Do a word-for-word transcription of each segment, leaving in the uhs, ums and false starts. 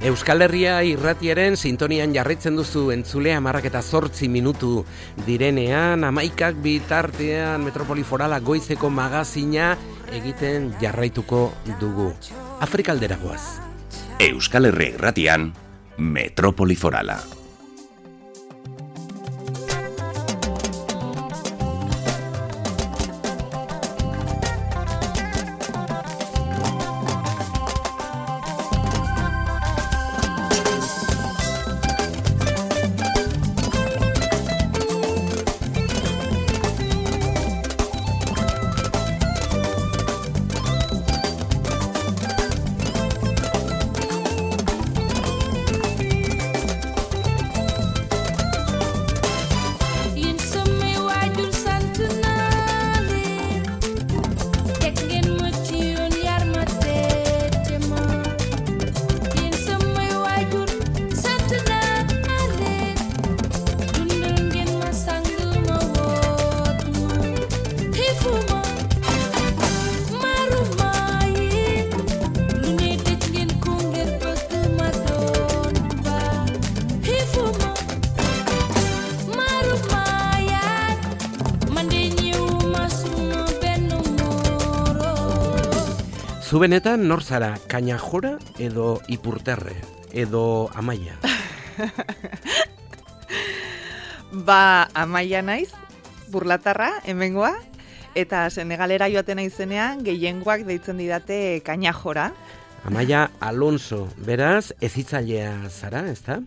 Euskal Herria irratiaren sintonian jarraitzen duzu entzule hamarrak eta zortzi minutu direnean, hamaikak bitartean Metropoli Forala goizeko magazina egiten jarraituko dugu. Afrikaldera goaz. Euskal Herria irratian Metropoli Forala. Zu benetan nor zara, Kañajora edo Ipurterre, edo Amaia? Ba, Amaia naiz, burlatarra, hemengoa, eta Senegalera joaten naizenean gehiengoak deitzen didate Kañajora. Amaia Alonso, beraz, ezitzailea zara, ezta?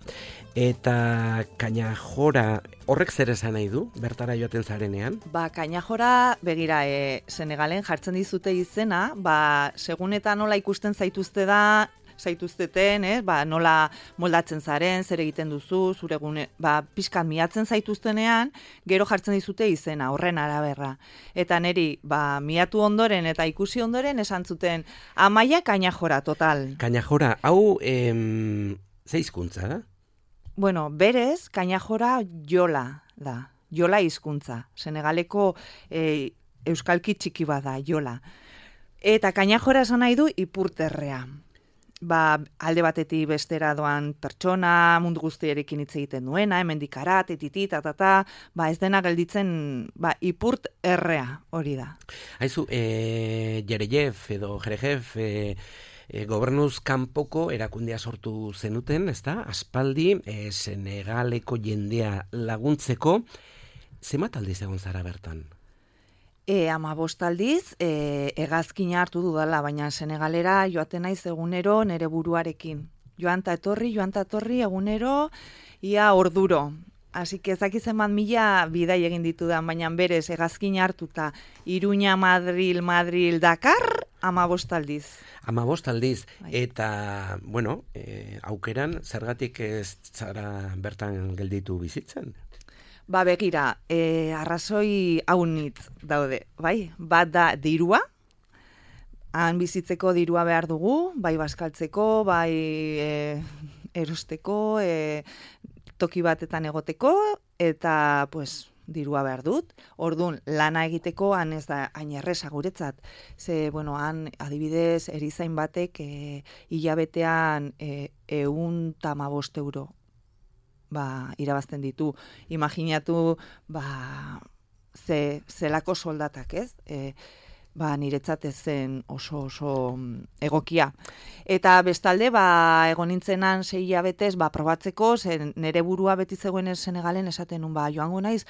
Eta Kañajora horrek zer esan nahi du, bertara joaten zarenean? Ba, Kañajora, begira, e, Senegalen jartzen dizute izena, ba, segun eta nola ikusten zaituzte da, zaituzteten, eh? Ba, nola moldatzen zaren, zer egiten duzu, zure gune, ba, pixkan miatzen zaituztenean, gero jartzen dizute izena, horren araberra. Eta neri, ba, miatu ondoren eta ikusi ondoren esan zuten, Amaia Kañajora, total. Kañajora, hau, em, ze hizkuntza da? Bueno, berez, Kañajora jola da, jola hizkuntza. Senegaleko e, euskalki txiki bada, jola. Eta Kañajora esan nahi du Ipurterrea. Ba, alde batetik bestera doan pertsona, mundu guztiarekin hitz egiten duena, hemendik arat, etiti, tatata, ba ez dena gelditzen, ba, Ipurterrea hori da. Haizu, e, Jerejev edo Jerejev, e, E, gobernuz kanpoko erakundea sortu zenuten, ezta? Aspaldi, e, Senegaleko jendea laguntzeko, zenbat aldiz egon zara bertan? E, hamabost aldiz, e, hegazkina hartu dudala, baina Senegalera joaten naiz egunero nere buruarekin. Joan ta etorri, joan ta etorri egunero, ia orduro. Así que ezaki zenbat mila bidai egin ditudan, baina berez hegazkina hartuta Iruña, Madril, Madril, Dakar, hamabost aldiz. Hamabost aldiz, eta, bueno, e, aukeran, zergatik ez zara bertan gelditu bizitzen? Ba, begira, e, arrazoi haunitz daude, bai? Bat da dirua, han bizitzeko dirua behar dugu, bai bazkaltzeko, bai e, erosteko, e, toki batetan egoteko, eta, pues, dirua behar dut. Orduan, lana egiteko han ez da hain erresa guretzat. Ze, bueno, han adibidez erizain batek e, hilabetean e, ehun eta hamabost euro ba, irabazten ditu. Imaginatu ba, ze, zelako soldatak, ez? E, ba, niretzat ez zen oso oso egokia. Eta bestalde, ba, egon nintzenan sei hilabetez, ba, probatzeko, zen nere burua beti zegoen Senegalen esaten nun, ba, joango naiz,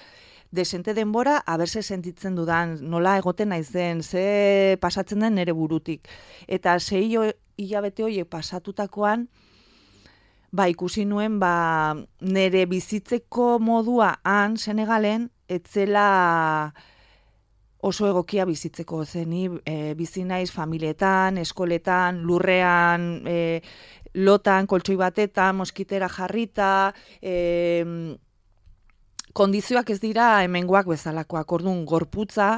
desente denbora, aberse sentitzen dudan, nola egoten naizen, ze pasatzen den nere burutik. Eta sei hilabete horiek pasatutakoan, ba, ikusi nuen, ba, nere bizitzeko modua han Senegalen, etzela oso egokia bizitzeko zeni, e, bizi naiz familietan, eskoletan, lurrean, e, lotan, koltsoi batetan, moskitera jarrita, e, kondizioak ez dira hemengoak bezalakoak, orduan gorputza,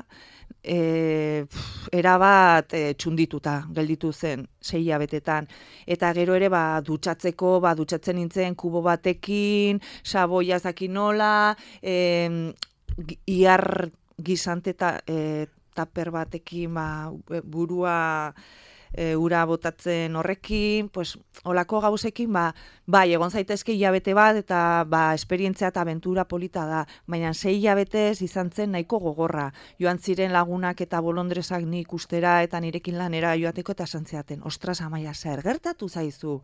e, erabat e, txundituta gelditu zen sei hilabetetan. Eta gero ere ba, dutxatzeko, ba, dutxatzen nintzen kubo batekin, saboia zakin nola, e, iar gizante ta, e, taper batekin ba, burua e, ura botatzen horrekin, pues, olako gauzekin, ba, bai, egon zaitezke hilabete bat, eta ba, esperientzia eta abentura polita da, baina sei hilabetez izan zen nahiko gogorra. Joan ziren lagunak eta bolondresak nik ustera eta nirekin lanera joateko eta santziaten. Ostras, Amaia, zer gertatu zaizu?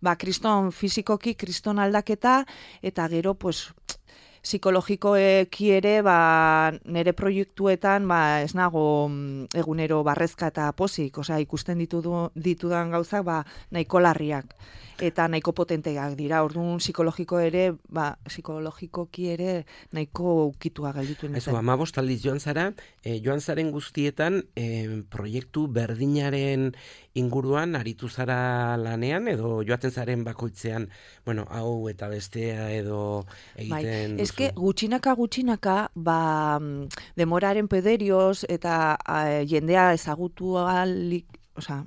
Ba, kriston fizikoki, kriston aldaketa, eta gero, pues, psikologikoeki ere, ba, nire proiektuetan, ba, ez nago egunero barrezka eta pozik, osea, ikusten ditudu, ditudan gauzak, ba, nahiko larriak, eta nahiko potenteak dira, orduan psikologiko ere, ba, psikologikoki ere, nahiko ukitua gelditu nintzen. Eso, amabost aldiz joan zara, eh, joan zaren guztietan, eh, proiektu berdinaren inguruan aritu zara lanean, edo joaten zaren bakoitzean, bueno, hau eta bestea edo egiten... Bai, eske gutxinaka gutxinaka, ba, demoraren pederioz eta a, jendea ezagutu alik, osea,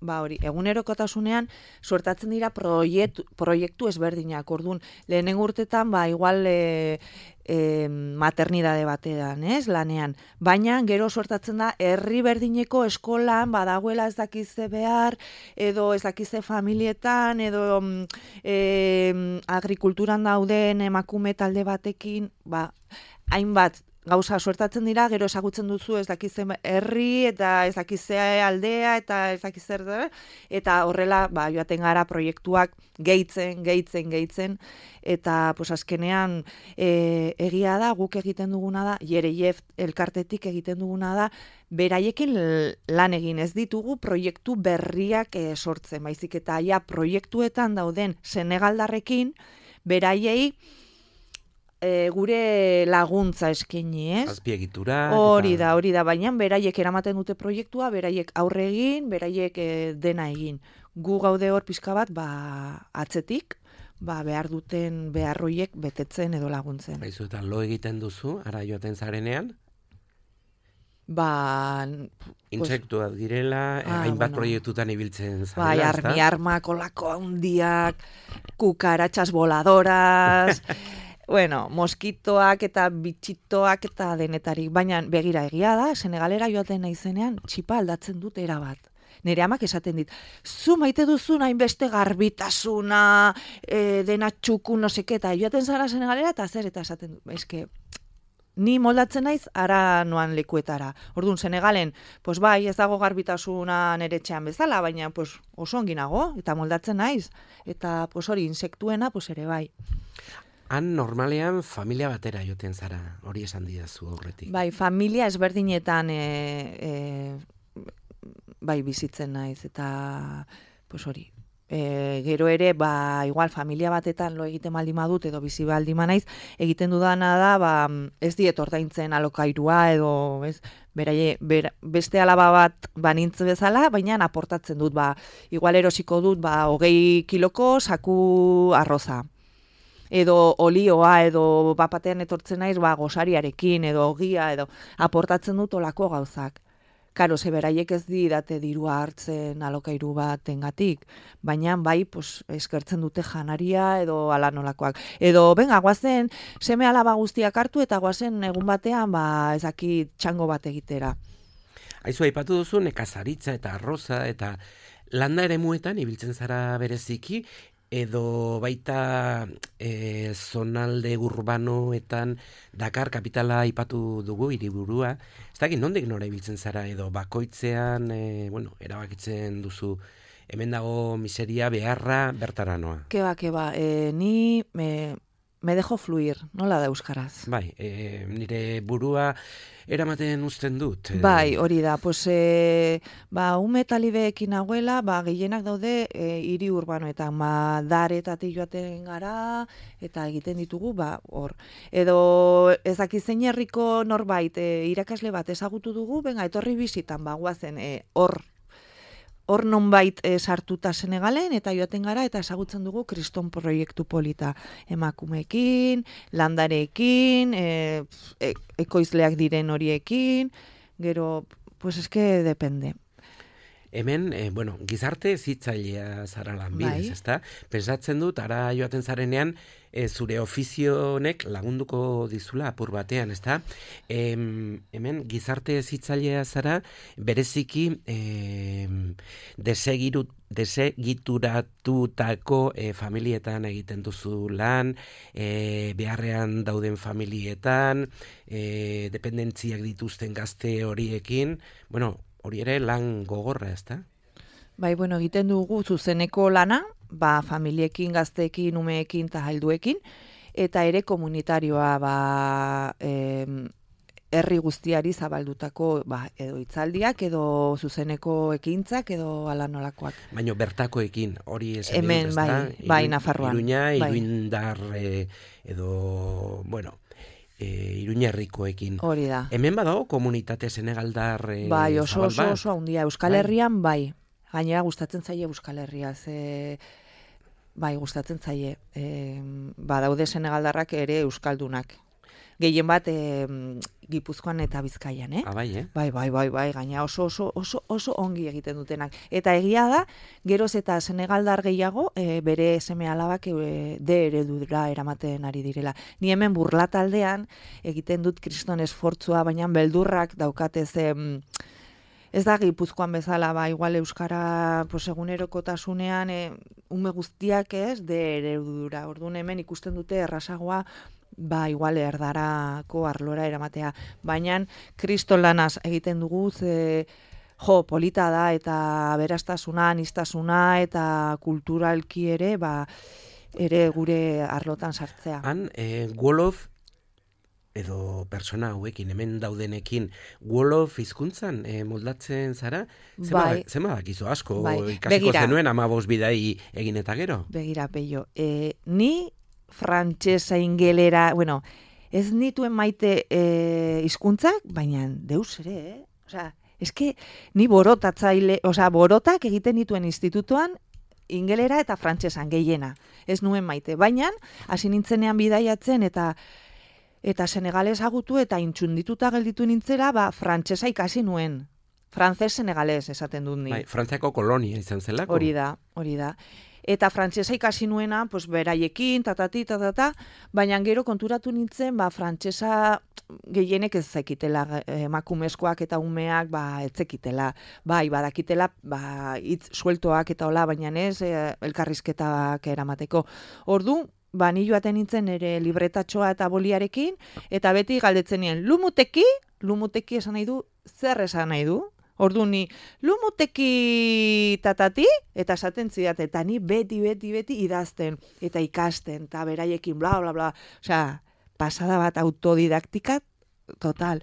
ba hori, egunerokotasunean suertatzen dira proiektu, proiektu ezberdinak, orduan, lehenengo urtetan, ba, igual e, e, maternidade batean, ez, lanean, baina gero suertatzen da, herri berdineko eskolan, badagoela ez dakize behar, edo ez dakize familietan, edo e, agrikulturan dauden emakume talde batekin, ba, hainbat, gauza suertatzen dira, gero ezagutzen duzu ez dakize herri, eta ez dakize aldea, eta ez dakize eta horrela, ba, joaten gara proiektuak gehitzen, gehitzen, gehitzen, eta pues, azkenean e, egia da, guk egiten duguna da, Jereief elkartetik egiten duguna da, beraiekin lan egin ez ditugu proiektu berriak e, sortzen, baizik eta ja proiektuetan dauden senegaldarrekin, beraiei E, gure laguntza eskaini, ez? Azpiegitura. Hori da, hori da, baina beraiek eramaten dute proiektua, beraiek aurre egin, beraiek e, dena egin. Gu gaude hor pixka bat, ba, atzetik, ba, behar duten beharroiek betetzen edo laguntzen. Baizu, eta lo egiten duzu, ara joaten zarenean? Ba... Intsektuak direla, ah, hainbat bueno. proiektutan ibiltzen zarela. Bai, armi armak, olako handiak, kukaratxas voladoras... Bueno, moskitoak eta bitxitoak eta denetarik, baina begira egia da, Senegalera joaten naizenean, txipa aldatzen dut erabat. Nire amak esaten dit, zu maite duzun hainbeste garbitasuna, e, dena txuku, no seke, eta joaten zara Senegalera, eta zer, eta esaten dut, eske, ni moldatzen naiz, ara noan lekuetara. Orduan, Senegalen, pues bai, ez dago garbitasuna nire etxean bezala, baina pues, oso onginago, eta moldatzen naiz, eta pues, hori, insektuena, pues ere bai. Han normalean familia batera joten zara, hori esan didazu aurretik. Bai, familia ezberdinetan e, e, bai bizitzen naiz, eta pues hori. E, gero ere, ba, igual familia batetan lo egiten baldin badut edo bizi baldin naiz, egiten dudana da, ba, ez diet ordaintzen alokairua edo, ez, beraie, ber, beste alaba bat banintz bezala, baina aportatzen dut, ba, igual erosiko dut, ba, hogei kiloko saku arroza. Edo olioa, edo bapatean etortzen naiz, ba, gosariarekin, edo ogia, edo aportatzen dut olako gauzak. Karo, ze beraiek ez didate dirua hartzen alokairu batengatik, baina bai, pues, eskertzen dute janaria, edo ala nolakoak. Edo, benga, guazen, seme alaba guztiak hartu, eta guazen egun batean, ba, ezaki txango bat egitera. Aizu, aipatu duzu, nekazaritza eta arroza, eta landa ere muetan, ibiltzen zara bereziki, edo baita e, zonalde urbanoetan Dakar kapitala aipatu dugu hiriburua. Ez dakit nondik nora ibiltzen zara edo bakoitzean, e, bueno, erabakitzen duzu hemen dago miseria beharra bertara noa. Keba, keba, e, ni me, me dejo fluir, nola da euskaraz? Bai, e, nire burua eramaten uzten dut. E... Bai, hori da, pues, e, ba, ume talibeekin nagoela, ba, gehienak daude e, hiri urbanoetan, ma, daretatik joaten gara, eta egiten ditugu, ba, hor. Edo, ez dakizein herriko norbait, e, irakasle bat ezagutu dugu, benga, etorri bizitan, ba, guazen, e, hor, hor nonbait e, sartuta Senegalen, eta joaten gara, eta ezagutzen dugu kriston proiektu polita emakumeekin, landarekin, e, e, ekoizleak diren horiekin, gero, pues eske depende. Hemen, eh, bueno, gizarte zitzailea zara lanbidez, Bai. ezta? Pensatzen dut, ara joaten zarenean, e, zure ofizionek lagunduko dizula apur batean, ezta? Em, hemen, gizarte zitzailea zara, bereziki em, desegiru, desegituratutako e, familietan egiten duzu lan, e, beharrean dauden familietan, e, dependentziak dituzten gazte horiekin, bueno, hori ere lan gogorra, ezta? Bai, bueno, egiten dugu zuzeneko lana, ba, familiekin, gazteekin, umeekin eta helduekin, eta ere komunitarioa, ba, em, herri guztiari zabaldutako, ba, edo hitzaldiak, edo zuzeneko ekintzak, edo ala nolakoak. Baina bertakoekin, hori esan Hemen, dut, ezta? bai, bai, Nafarroan. Iruña, Bai. Iruindar, eh, edo, bueno, e, Iruñerrikoekin. Hori da. Hemen badago komunitate senegaldar e, Bai, oso zabal oso bat? oso handia. Euskal Bai. Herrian, bai. Gainera gustatzen zaie Euskal Herria, ze bai, gustatzen zaie. E, badaude senegaldarrak ere euskaldunak. Gehien bat e, Gipuzkoan eta Bizkaian, eh? Ah, bai, eh? Bai, bai, bai, bai, gaina oso, oso, oso, oso ongi egiten dutenak. Eta egia da, geroz eta senegaldar gehiago, e, bere seme alabak e, de eredura eramaten ari direla. Ni hemen Burlataldean egiten dut kriston esfortzua, baina beldurrak daukatez, em, ez da Gipuzkoan bezala, ba, igual euskara pues, egunerokotasunean e, ume guztiak ez, de eredura. Orduan hemen ikusten dute errazagoa, ba, igual erdarako arlora eramatea. Baina kriston lanaz egiten dugu, ze, jo, polita da, eta berastasuna, aniztasuna, eta kulturalki ere, ba, ere gure arlotan sartzea. Han, e, Wolof, edo persona hauekin, hemen daudenekin, Wolof hizkuntzan e, moldatzen zara, Bai. zema dakizu asko, Bai. ikasiko Begira. zenuen amabos bidai egin eta gero? Begira, Peio, e, ni frantsesa, ingelera, bueno, ez nituen maite e, hizkuntzak, baina deus ere, eh? Osea, eske ni borotatzaile, osea, borotak egiten dituen institutuan ingelera eta frantsesan gehiena. Ez nuen maite, baina hasi nintzenean bidaiatzen eta eta senegales agutu eta intxundituta gelditu nintzera, ba, frantsesa ikasi nuen. Frantzes senegales esaten dut ni. Bai, Frantziako kolonia izan zelako. Hori da, hori da. Eta frantsesa ikasi nuena, pues beraiekin, tatati, tatata, baina gero konturatu nintzen, ba, frantsesa gehienek ez zekitela, emakumezkoak eta umeak, ba, ez zekitela. Bai, badakitela, ba, hitz sueltoak eta hola, baina ez, e, elkarrizketak eramateko. Ordu, ba, ni joaten nintzen ere libretatxoa eta boliarekin, eta beti galdetzen nien, lumuteki, lumuteki esan nahi du, zer esan nahi du? Ordu ni, lumuteki tatati, eta esaten zidat, eta ni beti, beti, beti idazten, eta ikasten, eta beraiekin, bla, bla, bla. Osea, pasada bat autodidaktika, total.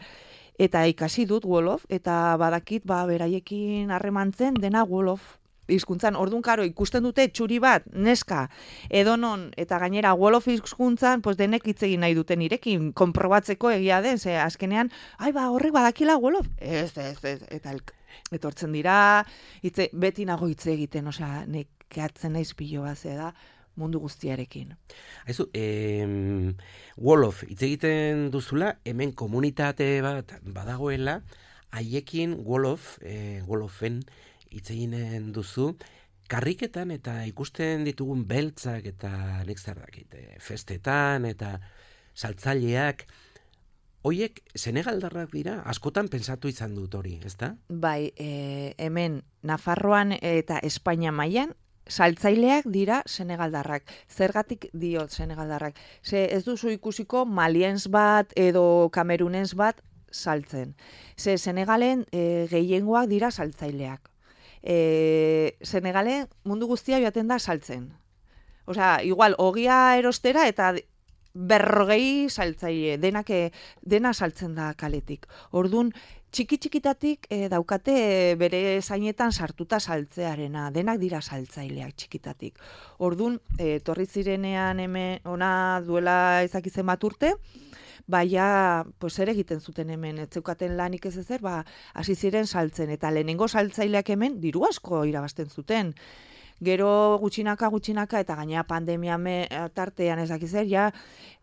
Eta ikasi dut Wolof, eta badakit, ba, beraiekin harremantzen dena Wolof hizkuntzan. Orduan, karo, ikusten dute txuri bat, neska, edonon, eta gainera Wolof hizkuntzan, pues denek hitz egin nahi duten irekin, konprobatzeko egia den, ze azkenean, ai, ba, horrek badakila Wolof. Ez, ez, ez, eta el, etortzen dira, hitze, beti nago hitz egiten, osea, nekeatzen naiz pilo bat, ze da, mundu guztiarekin. Aizu, em, Wolof, hitz egiten duzula, hemen komunitate bat badagoela, haiekin Wolof, e, Wolofen, hitz eginen duzu, karriketan eta ikusten ditugun beltzak eta nik zer dakit, festetan eta saltzaileak, hoiek senegaldarrak dira, askotan pentsatu izan dut hori, ezta? Bai, e, hemen Nafarroan eta Espainia mailan saltzaileak dira senegaldarrak. Zergatik diot senegaldarrak? Ze ez duzu ikusiko maliens bat edo kamerunens bat saltzen. Ze Senegalen e, gehiengoak dira saltzaileak. E, Senegalen mundu guztia joaten da saltzen. Osea, igual, ogia erostera eta berrogei saltzaile, denak, dena saltzen da kaletik. Orduan, txiki-txikitatik e, daukate bere zainetan sartuta saltzearena, denak dira saltzaileak txikitatik. Orduan, e, torri zirenean hemen ona duela ezakizen bat urte, baina, pues ere egiten zuten hemen, ez zeukaten lanik ez ezer, ba, hasi ziren saltzen, eta lehenengo saltzaileak hemen diru asko irabazten zuten. Gero gutxinaka, gutxinaka, eta gainera pandemia me, tartean ezak zer, ja,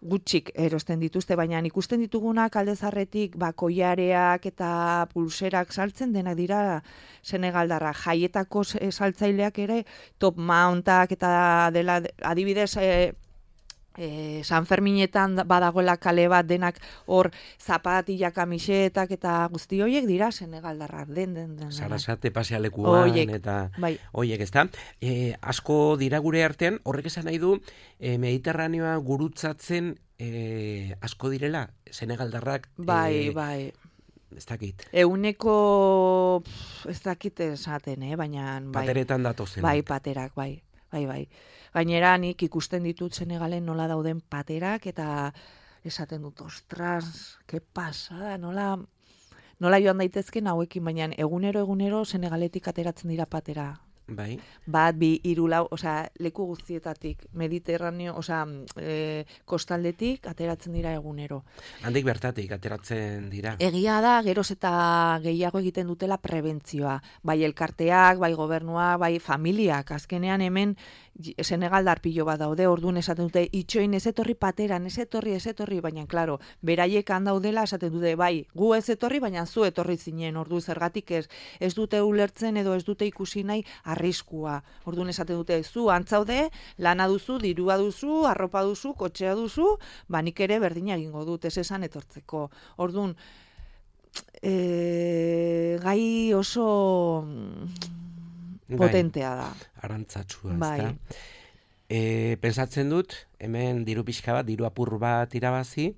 gutxik erosten dituzte, baina ikusten ditugunak alde zarretik, ba, koiareak eta pulserak saltzen denak dira senegaldarra. Jaietako saltzaileak ere, top mountak eta dela, adibidez, e, E, San Ferminetan badagoela kale bat denak hor zapatilla kamisetak eta guzti horiek dira senegaldarrak den den den. Sarasate pasealekuan Oiek, eta bai. Hoiek, ezta? E, asko dira gure artean, horrek esan nahi du e, Mediterraneoa gurutzatzen e, asko direla senegaldarrak. Bai, e, bai. Ez dakit. Euneko ez dakit esaten, eh, baina bai. Pateretan datozen. Bai, paterak, bai. Bai, bai. Gainera nik ikusten ditut Senegalen nola dauden paterak eta esaten dut, ostras, ke pasada, nola nola joan daitezken hauekin, baina egunero egunero Senegaletik ateratzen dira patera. Bai. Bat, bi, hiru, lau, osea, leku guztietatik, Mediterraneo, osea, e, kostaldetik ateratzen dira egunero. Handik bertatik ateratzen dira. Egia da, geroz eta gehiago egiten dutela prebentzioa. Bai elkarteak, bai gobernua, bai familiak. Azkenean hemen Senegaldar pilo bat daude, orduan esaten dute, itxoin ez etorri pateran, ez etorri, ez etorri, baina, klaro, beraiek handaudela esaten dute, bai, gu ez etorri, baina zu etorri zinen, ordu zergatik ez, ez dute ulertzen edo ez dute ikusi nahi arriskua. Orduan esaten dute, zu antzaude, lana duzu, dirua duzu, arropa duzu, kotxea duzu, ba nik ere berdina egingo dut, ez esan etortzeko. Orduan, e, gai oso potentea da. Arantzatsua, bai. ezta? E, pensatzen dut, hemen diru pixka bat, diru apur bat irabazi,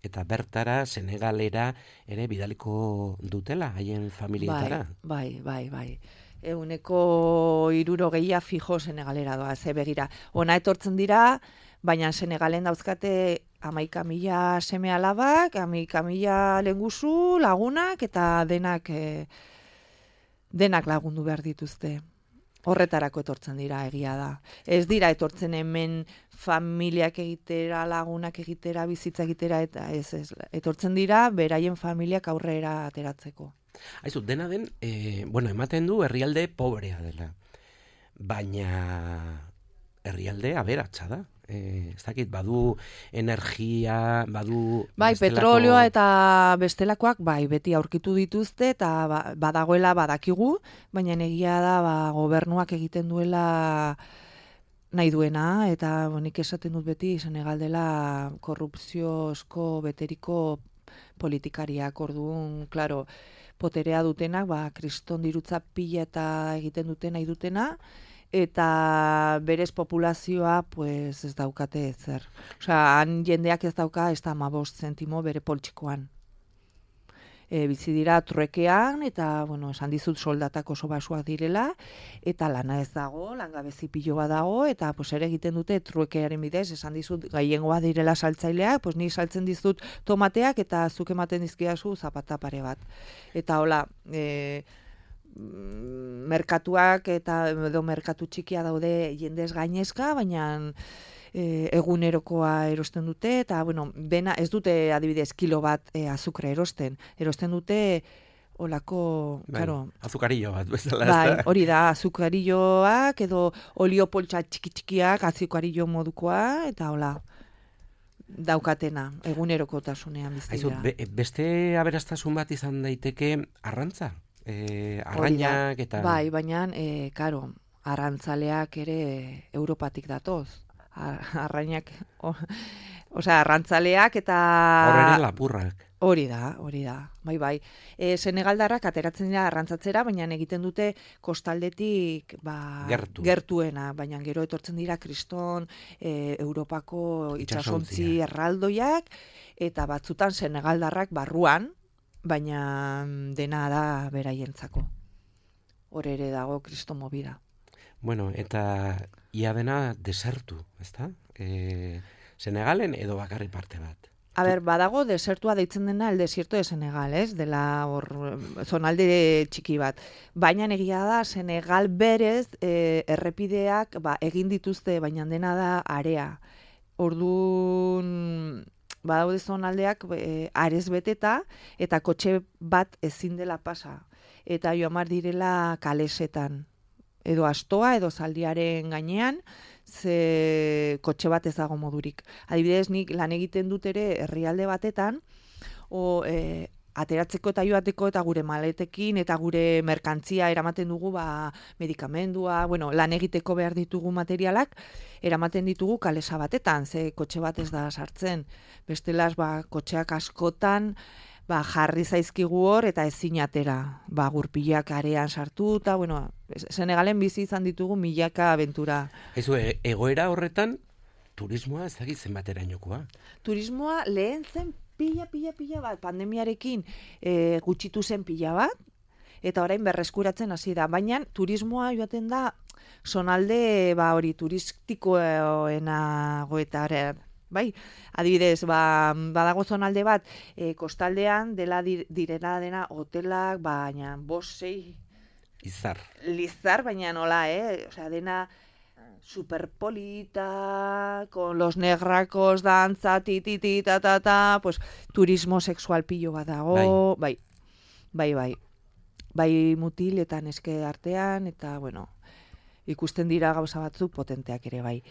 eta bertara Senegalera ere bidaliko dutela, haien familietara. Bai, bai, bai, bai. Euneko hirurogeia fijo Senegalera doa, ze begira. Ona etortzen dira, baina Senegalen dauzkate hamaika mila seme alabak, hamaika mila lenguzu, lagunak, eta denak, e, denak lagundu behar dituzte. Horretarako etortzen dira, egia da. Ez dira etortzen hemen familiak egitera, lagunak egitera, bizitza egitera, eta ez, ez. Etortzen dira, beraien familiak aurrera ateratzeko. Aizu, dena den, e, bueno, ematen du herrialde pobrea dela. Baina herrialde aberatsa da. E, ez dakit, badu energia, badu... Bai, bestelako... petrolioa eta bestelakoak, bai, beti aurkitu dituzte, eta ba, badagoela badakigu, baina egia da, ba, gobernuak egiten duela nahi duena, eta nik esaten dut beti, Senegal dela korrupziozko beteriko politikariak, orduan, klaro, poterea dutenak, ba, kriston dirutza pila eta egiten dute nahi dutena, eta berez populazioa pues ez daukate ezer. Osea, han jendeak ez dauka ez da hamabost zentimo bere poltsikoan. E, bizi dira truekean, eta, bueno, esan dizut soldatak oso basuak direla, eta lana ez dago, langabezi pilo bat dago, eta pues ere egiten dute truekearen bidez, esan dizut gaiengoa direla saltzaileak, pues ni saltzen dizut tomateak, eta zuk ematen dizkidazu zapata pare bat. Eta hola, e, merkatuak eta edo merkatu txikia daude jendez gainezka, baina e, egunerokoa erosten dute, eta, bueno, bena, ez dute adibidez kilo bat e, azukre erosten, erosten dute olako, bai, claro, azukarillo bat, bezala. Bai, hori da, azukarilloak edo olio poltsa txiki-txikiak azukarillo modukoa, eta hola, daukatena, egunerokotasunean bizi Aizu, da. be, beste aberastasun bat izan daiteke arrantza? E, arrainak eta... Bai, baina, e, karo, arrantzaleak ere Europatik datoz. Arrainak, osea, arrantzaleak eta... Horrela lapurrak. Hori da, hori da, bai, bai. E, Senegaldarrak ateratzen dira arrantzatzera, baina egiten dute kostaldetik ba, Gertu. gertuena, baina gero etortzen dira kriston e, Europako itsasontzi erraldoiak, eta batzutan Senegaldarrak barruan, baina dena da beraientzako. Hor ere dago kriston movida. Bueno, eta ia dena desertu, ezta? E, Senegalen edo bakarri parte bat? A ber, badago desertua deitzen dena el desierto de Senegal, ez? Dela hor zonalde txiki bat. Baina egia da Senegal berez e, errepideak ba, egin dituzte, baina dena da area. Orduan badaude zonaldeak e, arez beteta eta kotxe bat ezin dela pasa. Eta joamar direla kalesetan. edo astoa edo zaldiaren gainean, ze kotxe bat ez dago modurik. Adibidez, nik lan egiten dut ere herrialde batetan, o, e, ateratzeko eta joateko eta gure maletekin eta gure merkantzia eramaten dugu ba, medikamendua, bueno, lan egiteko behar ditugu materialak, eramaten ditugu kalesa batetan, ze kotxe bat ez da sartzen. Bestelaz, ba, kotxeak askotan, ba, jarri zaizkigu hor eta ezin atera. Ba, gurpilak arean sartuta, bueno, Senegalen bizi izan ditugu milaka abentura. Ez e, egoera horretan, turismoa ez dakit zenbaterainokoa. Turismoa lehen zen pila, pila, pila bat, pandemiarekin e, gutxitu zen pila bat, eta orain berreskuratzen hasi da. Baina turismoa joaten da, zonalde, ba, hori turistikoena goetaren. Bai, adibidez, ba, badago zonalde bat, e, kostaldean dela direna dena hotelak, baina bost sei Izar. Lizar, baina nola, eh? Osea, dena superpolita, con los negracos, dantza, ti, ti, ti, ta, ta, ta, pues, turismo sexual pillo bat dago, bai, bai, bai, bai mutil eta neske artean, eta, bueno, ikusten dira gauza batzuk potenteak ere, bai.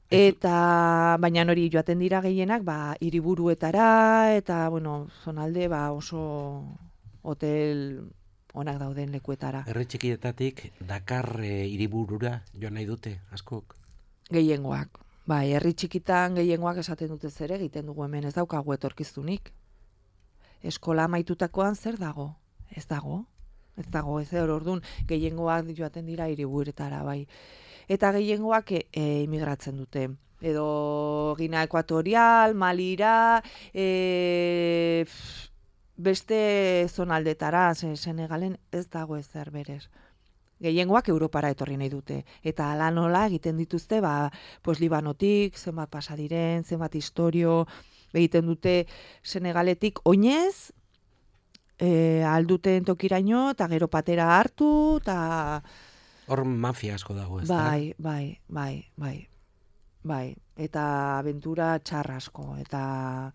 Eta, baina hori joaten dira gehienak, ba, hiriburuetara, eta, bueno, zonalde, ba, oso hotel onak dauden lekuetara. Herri txikietatik Dakar e, hiriburura joan nahi dute, askok? Gehiengoak. Bai, herri txikitan gehiengoak esaten dute zer egiten dugu hemen, ez daukagu etorkizunik. Eskola amaitutakoan zer dago? Ez dago. Ez dago, ez hor orduan gehiengoak joaten dira hiriburetara, bai. Eta gehiengoak e, e, imigratzen dute. Edo Gina Ekuatorial, Malira, e, beste zonaldetara, Senegalen ez dago ezer berez. Gehiengoak Europara etorri nahi dute. Eta ala nola egiten dituzte, ba, pues Libanotik, zenbat pasa diren, zenbat historio, egiten dute Senegaletik oinez, e, alduten tokiraino, eta gero patera hartu, eta... Hor mafia asko dago, ez da? Bai, bai, bai, bai, bai. Eta abentura txarra asko, eta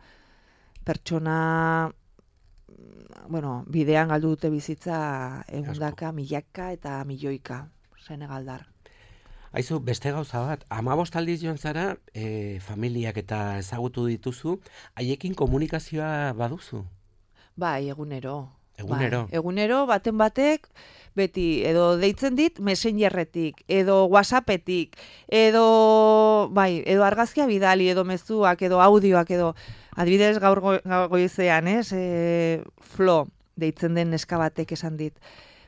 pertsona... bueno, bidean galdu dute bizitza egundaka, milaka eta milioika senegaldar. Aizu, beste gauza bat, hamabost aldiz joan zara, e, familiak eta ezagutu dituzu, haiekin komunikazioa baduzu? Bai, egunero. Egunero? Bai, egunero, baten batek, beti, edo deitzen dit, Messengerretik, edo WhatsAppetik, edo, bai, edo argazkia bidali, edo mezuak, edo audioak, edo... Adibidez gaur go, goizean, ez, e, Flo, deitzen den neska batek esan dit.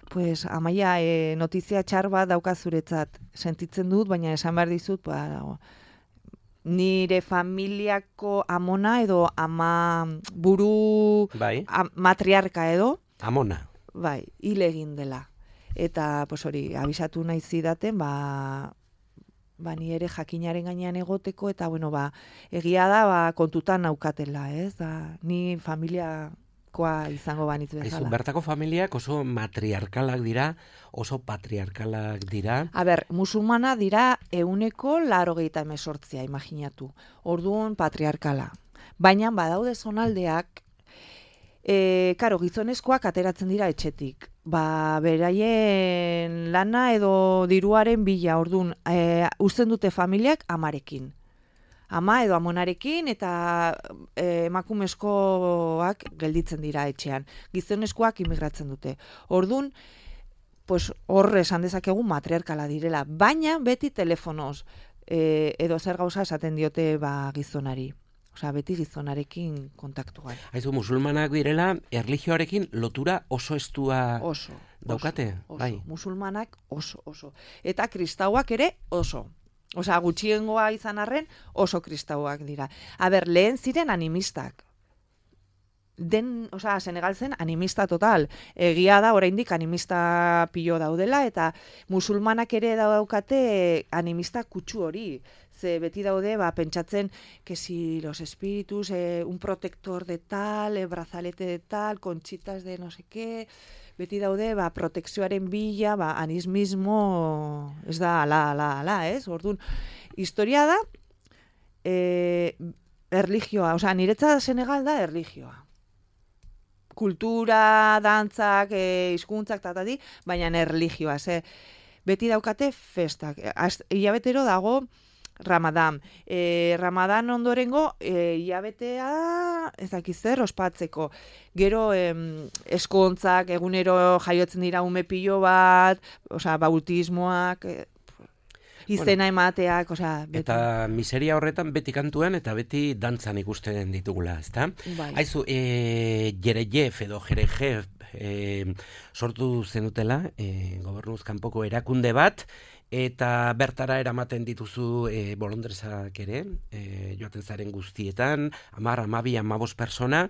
Pues, Amaia, e, notizia txar bat daukazuretzat, sentitzen dut, baina esan behar dizut, ba, nire familiako amona edo ama buru bai. a, matriarka edo. Amona. Bai, hil egin dela. Eta, pues hori, abisatu nahi zidaten, ba... ba, ni ere jakinaren gainean egoteko, eta, bueno, ba, egia da, ba, kontutan naukatela, ez? Da, ni familiakoa izango banitz bezala. Aizu, bertako familiak oso matriarkalak dira, oso patriarkalak dira. A ber, musulmana dira euneko laurogeita hemezortzia, imaginatu. Orduan patriarkala. Baina, badaude zonaldeak, e, karo, gizonezkoak ateratzen dira etxetik. Ba, beraien lana edo diruaren bila, orduan, e, uzten dute familiak amarekin. Ama edo amonarekin eta e, emakumezkoak gelditzen dira etxean. Gizonezkoak imigratzen dute. Orduan, pues, horre esan dezakegu matriarkala direla, baina beti telefonoz e, edo zer gauza esaten diote ba, gizonari. Osea, beti gizonarekin kontaktuan. Aizu, musulmanak direla, erlijioarekin lotura oso estua oso, daukate? Oso, bai. Musulmanak oso, oso. Eta kristauak ere oso. Osea, gutxiengoa izan arren oso kristauak dira. A ber, lehen ziren animistak. Den, osea, Senegal zen animista total. Egia da, oraindik animista pilo daudela, eta musulmanak ere daukate animista kutsu hori. Ze beti daude, ba, pentsatzen, que si los espíritus, eh, un protector de tal, eh, brazalete de tal, conchitas de no sé qué, beti daude, ba, protekzioaren bila, ba, anismismo, ez da, ala, ala, ala, ez? Orduan, historia da, eh, erlijioa, osea, niretzat Senegal da erlijioa. Kultura, dantzak, eh, hizkuntzak tatati, baina erlijioa, ze, beti daukate festak. Az- Hilabetero dago Ramadan. E, Ramadan ondorengo e, hilabetea ez dakiz zer ospatzeko. Gero em, eskontzak egunero jaiotzen dira ume pilo bat, osea, bautismoak, e, izena emateak, osea, beti. Eta miseria horretan beti kantuan eta beti dantzan ikusten ditugula, ezta? Bai. Aizu, e, Jerejef edo Jerejef e, sortu zenutela, e, gobernuz kanpoko erakunde bat, eta bertara eramaten dituzu e, bolondresak ere, e, joaten zaren guztietan, amar, amabi, amabos persona.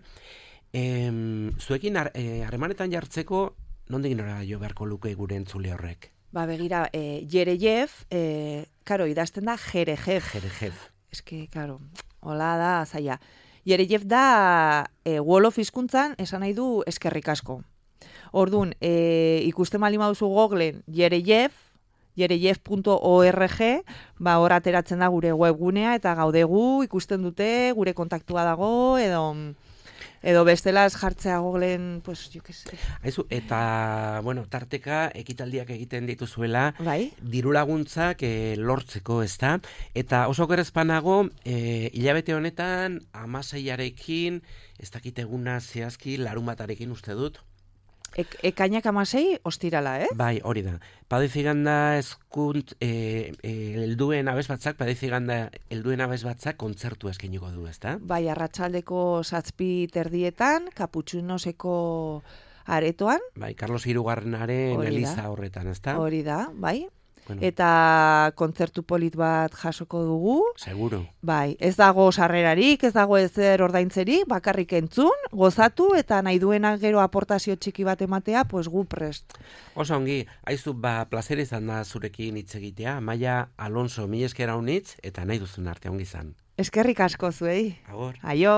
E, zuekin har- e, harremanetan jartzeko, nondik nora jo beharko luke gure entzule horrek? Ba, begira, e, Jerejef, e, karo, idazten da Jerejef. Jerejef. Eske, karo, hola da, zaila. Jerejef da e, Wolof hizkuntzan esan nahi du eskerrik asko. Orduan, e, ikusten bali baduzu Googlen Jerejef, jerejef puntu org, ba, hor ateratzen da gure webgunea, eta gaudegu, ikusten dute, gure kontaktua dago, edo... Edo bestelaz jartzea Googlen, pues, jo que sé. Aizu, eta, bueno, tarteka ekitaldiak egiten dituzuela, Bai? diru laguntzak e, lortzeko, ezta? Eta oso gerezpanago, e, hilabete honetan, amaseiarekin, ez dakit eguna zehazki, larunbatarekin uste dut. Ek, ekainak amasei, ostirala, eh? Bai, hori da. Padeziganda eskunt, e, e, helduen abez batzak, padeziganda helduen abez batzak kontzertu eskeniko du, ezta? Bai, arratsaldeko zazpi terdietan, kaputxunoseko aretoan, Bai, Carlos Hirugarrenaren Hori da. eliza horretan, ezta? hori da, bai? Bueno, Eta kontzertu polit bat jasoko dugu. seguro. Bai, ez dago sarrerarik, ez dago ezer ordaintzerik, bakarrik entzun, gozatu, eta nahi duenak gero aportazio txiki bat ematea, pues gu prest. Oso ongi, aizu, ba, plazer izan da zurekin hitz egitea, Amaia Alonso, mi eskera unitz, eta nahi duzun arte ongi izan. Eskerrik asko zuei. Agor. Aio!